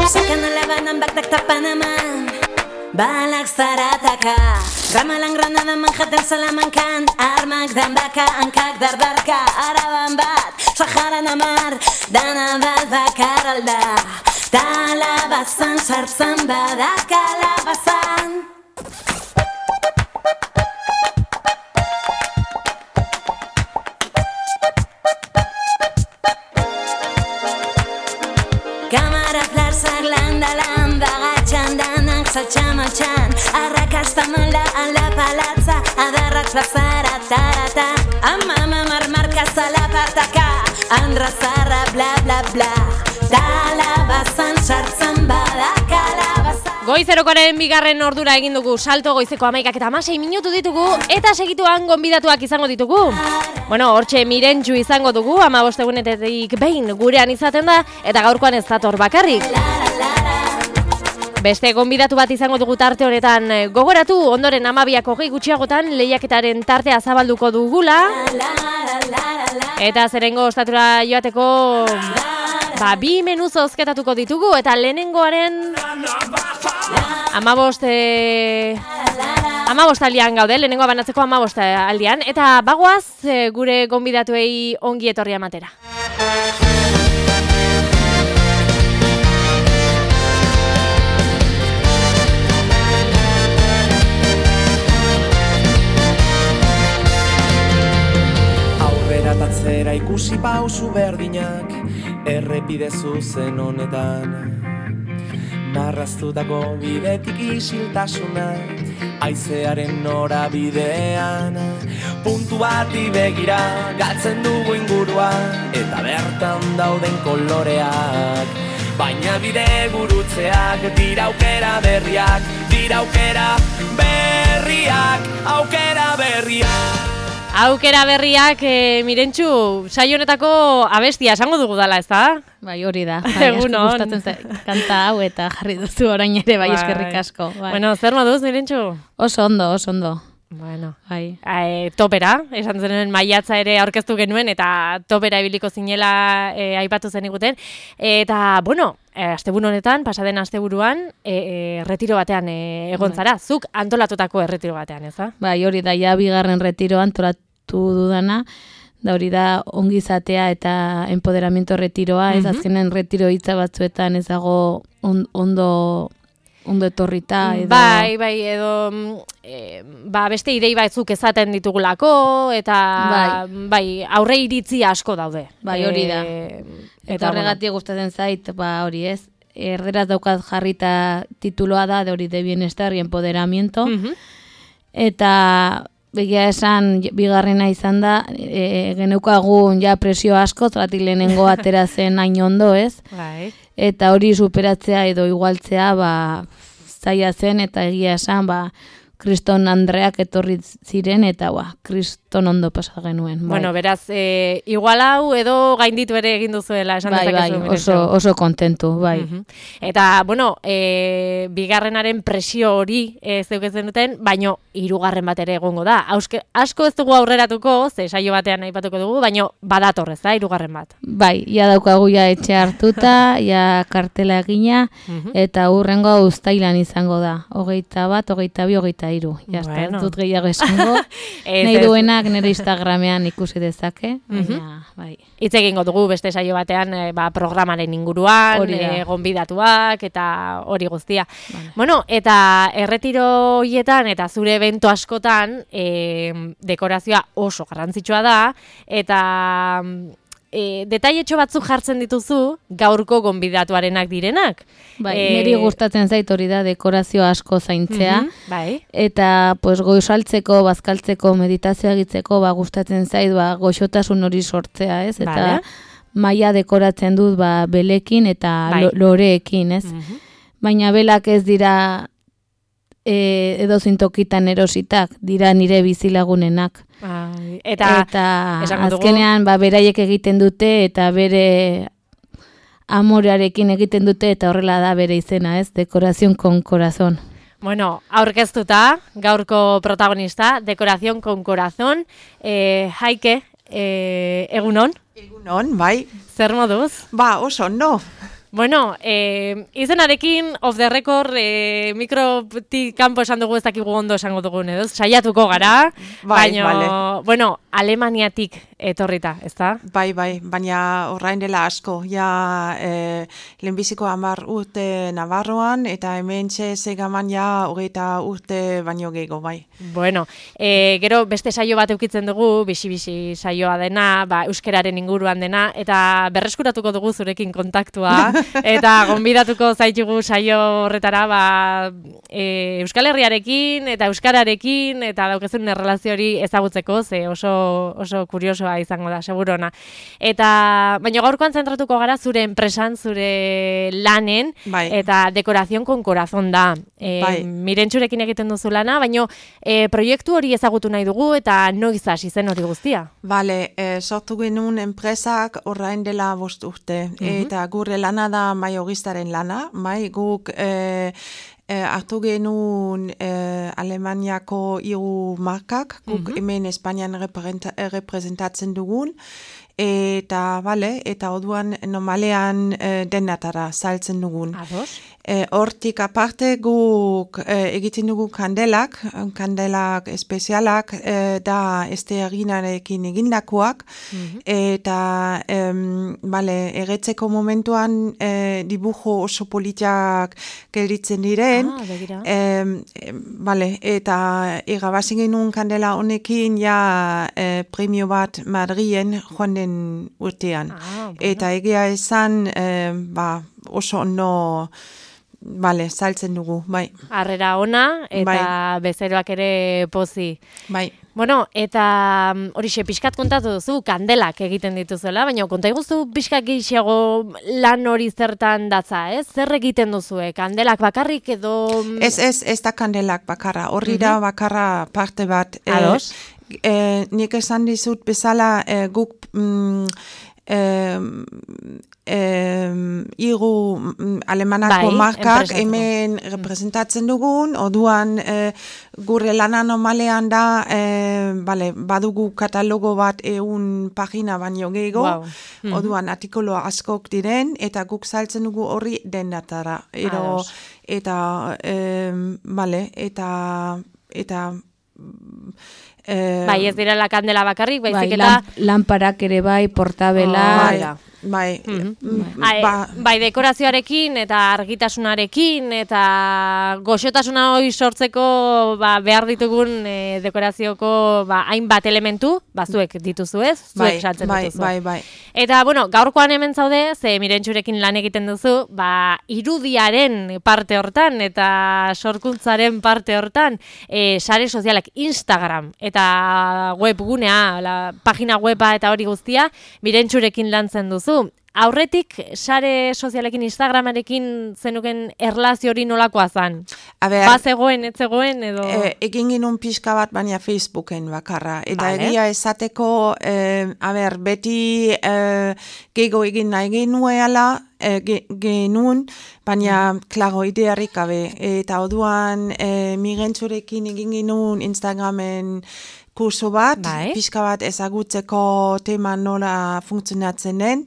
Sakan alaban baktak tapanaman balak zarataka Ramalan Granada Manhattan Salamankan armak dan baka hankak dardarka Araban bat Saharan amar dana bat bakar alda Talabazan sartzan badak kalabazan Kamara flarzak landalan bagatxan danak saltxamatxan Arrakasta malda ala palatza adarrak plazara tarata Amama marmarka zalapartaka andra zarra bla bla bla Talabazan sartzan badak kalabazan Goizerokoaren bigarren ordura egin dugu salto goizeko 11:16 minutu ditugu eta segituan gonbidatuak izango ditugu. Bueno, hortxe Mirentxu izango dugu 15 egunetetik behin gurean izaten da eta gaurkoan ez dator bakarrik. Beste gonbidatu bat izango dugu tarte honetan gogoratu ondoren 12:20 gutxiagotan lehiaketaren tartea zabalduko dugula. Eta zerengo ostatura joateko 2 menu zozketatuko ditugu eta lehenengoaren 15 aldian gaude, lehenengoa banatzeko 15 aldian, eta bagoaz gure gonbidatuei ongi etorria ematera. Aurrera tatzera ikusi pausu berdinak, errepide zuzen honetan. Marraztutako bidetik isiltasuna, haizearen norabidean. Puntu bati begira, galtzen dugu ingurua, eta bertan dauden koloreak. Baina bide gurutzeak, dira aukera berriak, aukera berriak. Aukera berriak, Mirentxu, saio honetako abestia esango dugu dala, ez da? Bai, hori da. Bai, gustatzen zait kanta hau eta jarri duzu orain ere, bai, eskerrik asko. Bai. Bueno, zer moduz, Mirentxu? Oso ondo. Bueno, bai. Topera, esan zenuen maiatza ere aurkeztu genuen, eta topera ibiliko zinela aipatu zen iguten. Eta, bueno, asteburu honetan, pasaden asteburuan, retiro batean egon zara. Zuk antolatutako retiro batean, ez da? Bai, hori da, ja bigarren retiro antolatu dudana, da hori da ongizatea eta empoderamiento retiroa, ez azkenen retiro hitza batzuetan ez dago ondo etorrita edo... Bai, edo beste idei batzuk ezaten ditugulako eta bai, aurre iritzi asko daude. Bai, hori da. Eta horregatik gustatzen zait, hori ez, erderaz daukat jarrita tituloa da, de hori de bienestar y empoderamiento, eta begia esan bigarrena izan da, geneukagun ja presio asko, zeratik lehenengo atera zen hain ondo, ez? Bai. Eta hori superatzea edo igualtzea, zaila zen, eta egia esan, Kriston Andreak etorri ziren, eta Kriston ondo pasa genuen. Bueno, beraz, igual hau edo gainditu ere egin duzuela, esan dezakezu. Bai, oso kontentu, bai. Eta, bueno, bigarrenaren presio hori zeuketzen duten, baino hirugarren bat ere egongo da. Asko ez dugu aurreratuko, ze saio batean aipatuko dugu, baino badator ez da, hirugarren bat. Bai, ja daukagu ja etxe hartuta, ja kartela egina, eta hurrengo uztailan izango da. 21, 22, 23. Ja, ez dut gehiago esango. Nahi duenak nire Instagramean ikusi dezake. Bai. Hitz egingo dugu beste saio batean programaren inguruan, gonbidatuak eta hori guztia. Bueno, eta erretiro hietan eta zure evento askotan dekorazioa oso garrantzitsua da eta detailetxo batzuk jartzen dituzu gaurko gonbidatuarenak direnak. Bai, niri gustatzen zait hori da dekorazio asko zaintzea. Bai. Eta goizaltzeko, bazkaltzeko, meditazioa egitzeko gustatzen zait goxotasun hori sortzea, ez? Eta maila dekoratzen dut belekin eta loreekin, ez? Baina belak ez dira edozein tokitan erositak, dira nire bizilagunenak. Eta azkenean beraiek egiten dute eta bere amorearekin egiten dute eta horrela da bere izena, ez? Decoración con corazón. Bueno, aurkeztuta, gaurko protagonista, Decoración con corazón, Jaike, egunon? Egunon, bai. Zer moduz? Oso ondo. Bueno, izenarekin off the record mikrotik kanpo esan dugu ez dakigu ondo esango dugun edo, saiatuko gara, baina, bueno, Alemaniatik etorrita, ezta? Bai, baina orain dela asko, ja lehenbiziko 10 urte Navarroan, eta hemen segaman ja 20 urte baino gehiago, bai. Bueno, gero beste saio bat eukitzen dugu, bisi saioa dena, euskararen inguruan dena, eta berreskuratuko dugu zurekin kontaktua, eta gonbidatuko zaitugu saio horretara, Euskal Herriarekin eta euskararekin eta daukezun erlazio hori ezagutzeko, ze oso kuriosoa izango da, segurona. Baina gaurkoan zentratuko gara zure enpresan, zure lanen, eta dekorazion con corazón da. Mirentxurekin egiten duzu lana, baina proiektu hori ezagutu nahi dugu eta noiz hasi zen hori guztia? Bale, sortu genuen enpresak orain dela 5 urte, eta gure lana da maiogistaren lana, guk hartu genuen Alemaniako 3 markak, guk hemen Espainian representatzen dugun, eta orduan normalean denatara saltzen dugun. Hortik aparte guk egiten dugu kandelak espezialak da estearinarekin egindakoak, eta erretzeko momentuan dibujo oso politiak gelditzen diren, eta irabazi genuen kandela honekin ja premio bat Madrien joan den urtean. Eta egia esan oso ondo saltzen dugu, bai. Harrera ona, eta bezeroak ere pozi. Bai. Bueno, eta horixe pixkat kontatu duzu, kandelak egiten dituzuela, baina konta iguzu pixkat gehiago lan hori zertan datza, ez? Zer egiten duzue, kandelak bakarrik edo... Ez da kandelak bakarra, horri da bakarra parte bat. Ados? Nik esan dizut bezala guk... hiru alemanako markak hemen representatzen dugun, orduan gure lana normalean da badugu katalogo bat 100 pagina baino gehiago, orduan artikulu askok diren, eta guk saltzen dugu horri dendatara. Bai, ez dira la kandela bakarrik, baizik eta... Lamparak ere bai, portabela... Bai, dekorazioarekin eta argitasunarekin eta goxotasuna hori sortzeko behar ditugun dekorazioko hainbat elementu, zuek dituzu ez? Zuek saltzen dituzu. Bai. Eta, gaurkoan hemen zaude, ze Mirentxurekin lan egiten duzu, irudiaren parte hortan eta sorkuntzaren parte hortan, sare sozialak Instagram eta webgunea, pagina weba eta hori guztia, Mirentxurekin lantzen duzu. Aurretik, sare sozialekin, Instagramarekin zenuken erlazio hori nolakoa zan? Zegoen, ez zegoen, edo... Egin genuen pixka bat, baina Facebooken bakarra. Eta egia esateko, beti gehiago egin nahi genuen, baina, klaro, idearik gabe. Eta orduan, Mirentxurekin egin genuen Instagramen kurso bat, pixka bat ezagutzeko tema nola funtzionatzen den,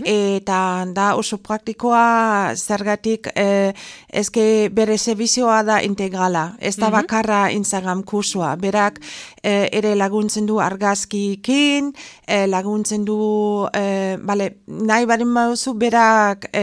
eta da oso praktikoa zergatik ezke bere zerbizioa da integrala, ez da bakarra Instagram kursoa, berak ere laguntzen du argazkikin, laguntzen du, nahi baren baduzu berak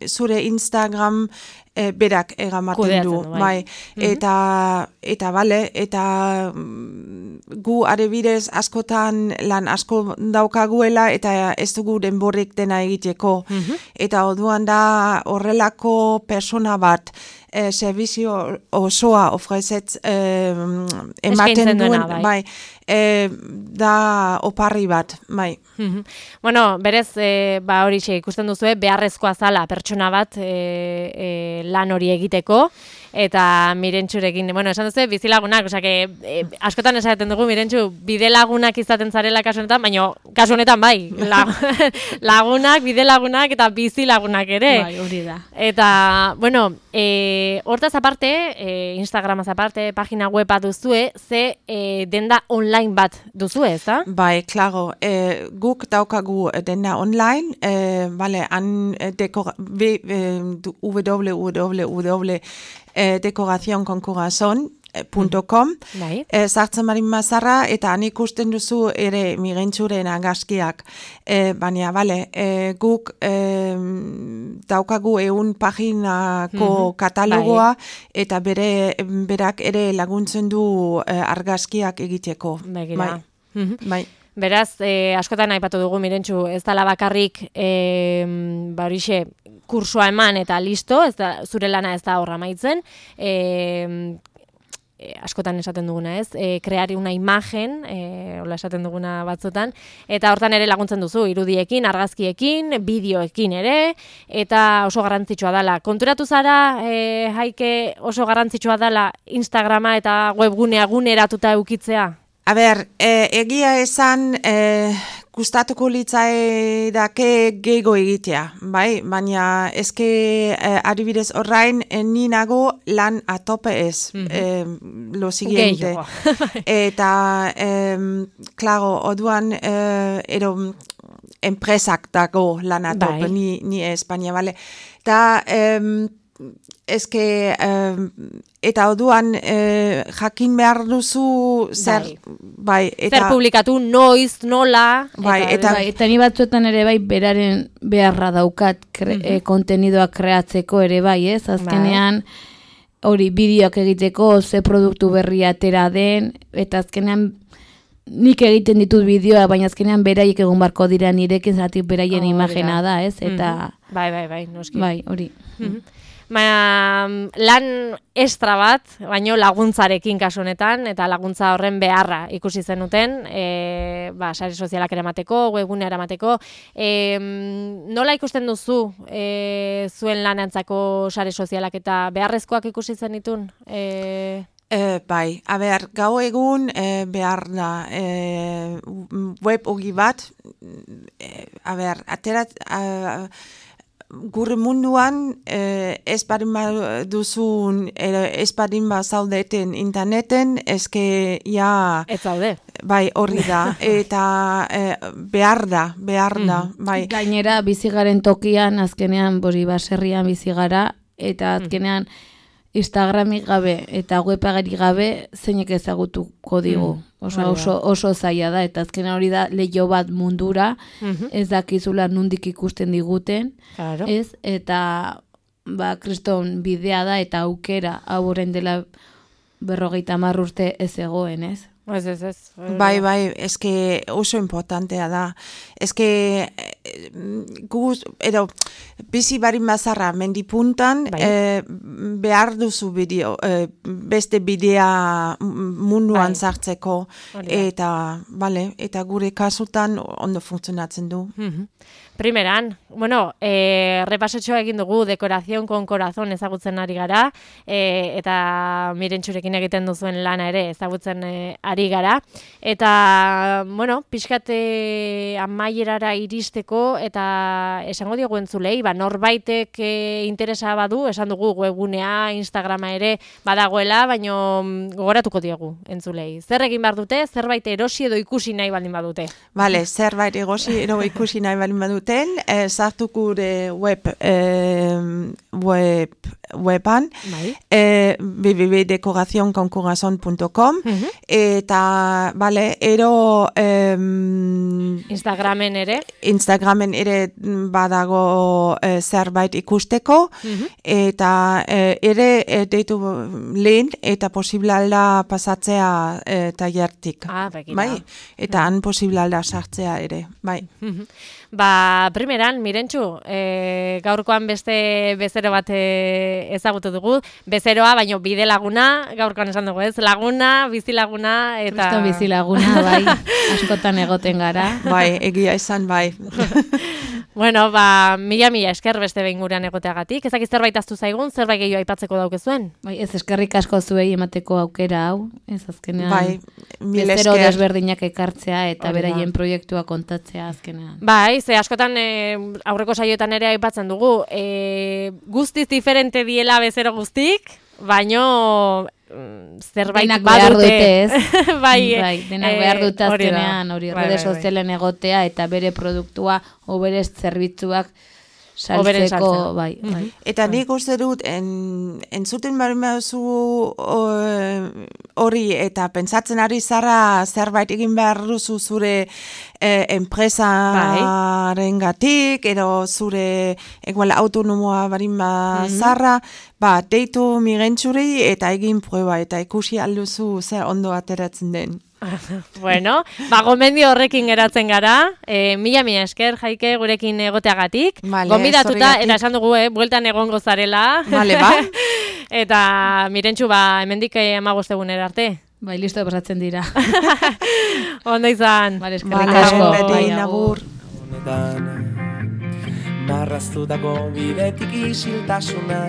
zure Instagram berak eramaten du, eta gu adibidez askotan lan asko daukaguela eta ez dugu denborik dena egiteko. Eta orduan da horrelako persona bat servizio osoa ofrezet ematen duen, da oparri bat, bai. Bueno, berez, hori ikusten duzu, beharrezkoa zala pertsona bat lan hori egiteko, eta Mirentxurekin, esan duzu, bizilagunak, askotan esaten dugu, Mirentxu, bidelagunak izaten zarela kasu honetan, baina kasu honetan bai, lagunak, bidelagunak eta bizilagunak ere. Bai, hori da. Eta, hortaz aparte, Instagramaz aparte, pagina web bat duzue, ze denda online online bat duzu ez, da? Bai, klaro, guk daukagu dena online, han www.decoracionconcorazon.com sartzen marin mazarra, eta han ikusten duzu ere migentsuren argazkiak. Baina, guk daukagu 100 paginako katalogoa, eta berak ere laguntzen du argazkiak egiteko. Bai. Beraz, askotan aipatu dugu Mirentxu, ez dela bakarrik horixe kursoa eman eta listo, zure lana ez da horra amaitzen, askotan esaten duguna ez, kreari una imagen, hola esaten duguna batzutan, eta hortan ere laguntzen duzu, irudiekin, argazkiekin, bideoekin ere, eta oso garrantzitsua dela. Konturatu zara, Jaike, oso garrantzitsua dela Instagrama eta webgunea guneratuta eukitzea? A ber, egia esan gustatuko litzaidake gehiago egitea, bai? Baina eske adibidez orain ni nago lan a tope ez, lo siguiente. Eta, claro, orduan edo enpresak dago lan a tope, ni ez, baina, bale? Da, eske, eta orduan jakin behar duzu zer, zer publikatu, noiz, nola, eta ni batzuetan ere beraren beharra daukat kontenidoak kreatzeko ere ez, azkenean hori bideoak egiteko, ze produktu berria atera den, eta azkenean nik egiten ditut bideoa, baina azkenean beraiek egon barko dira nirekin, zatik beraien imagena da, ez, eta bai, noski. Bai, hori. Lan estra bat, baino laguntzarekin kasu honetan, eta laguntza horren beharra ikusi zenuten, sare sozialak eramateko, webgunea eramateko. Nola ikusten duzu zuen lanantzako sare sozialak eta beharrezkoak ikusi zenitun? Bai, gau egun behar da web ogi bat, gure munduan ez badin duzun, ez badin zaudeten interneten, eske ja... Ez zaude. Bai, horri da, eta behar da, bai. Gainera, bizigaren tokian, azkenean, baserrian bizigara, eta azkenean, Instagramik gabe eta webagari gabe zeinek ezagutuko digu. Oso zaila da, eta azkenean hori da leiho bat mundura, ez dakizula nundik ikusten diguten, ez? Eta kriston bidea da eta aukera hau horren dela 50 urte ez egoen, ez? Ez. Bai, eske oso importantea da. Eske bizi barin mazarra mendipuntan behar duzu bideo, beste bidea munduan sartzeko, eta gure kasutan ondo funtzionatzen du. Primeran, repasotxoa egin dugu Decoración con Corazón ezagutzen ari gara, eta Mirentxurekin egiten duzuen lana ere ezagutzen ari gara, eta, pixkat amaierara iristeko, eta esango diogu entzulei, norbaitek interesa badu, esan dugu webgunea, Instagrama ere badagoela, baino gogoratuko diogu entzulei. Zer egin behar dute, zerbait erosi edo ikusi nahi baldin badute? Bale, zerbait erosi edo ikusi nahi baldin badute, sartu gure weban www.decoracionconcorazon.com eta ero Instagramen ere badago zerbait ikusteko eta ere deitu lehen eta posible alda pasatzea tailertik. Eta han posible alda sartzea ere, bai. Primeran, Mirentxu, gaurkoan beste bezero bat ezagutu dugu. Bezeroa, baino bide laguna, gaurkoan esan dugu ez, laguna, bizilaguna, eta... Kriston bizilaguna, bai, askotan egoten gara. Bai, egia izan, bai. Mila esker beste behin gurean egoteagatik. Ezak zerbait aztu zaigun, zerbait gehiago aipatzeko daukezuen? Bai, ez eskerrik asko zuei emateko aukera hau, ez azkenean. Bai, mil bezero esker. Desberdinak ekartzea eta beraien proiektua kontatzea azkenean. Bai, ze askotan aurreko saioetan ere aipatzen dugu, guztiz diferente diela bezero guztik, baino zerbait badute, bai, denak behar dute azkenean, hori rede sozialen egotea eta bere produktua o bere zerbitzuak saltzeko, bai. Eta nik uste dut, entzuten barimauzu hori eta pentsatzen ari zara zerbait egin behar duzu zure enpresaren gatik, edo zure autonomoa barima zarra, deitu migentzuri eta egin prueba, eta ikusi alduzu zer ondo ateratzen den. Bueno, gomendio horrekin geratzen gara, mila esker, Jaike, gurekin egoteagatik, gonbidatuta, eta esan dugu, bueltan egongo zarela, eta Mirentxu, hemendik 15 egunera arte. Bai, listo, pasatzen dira. Ondo izan. Eskerrik asko. Agur. Marraztutako bidetik isiltasuna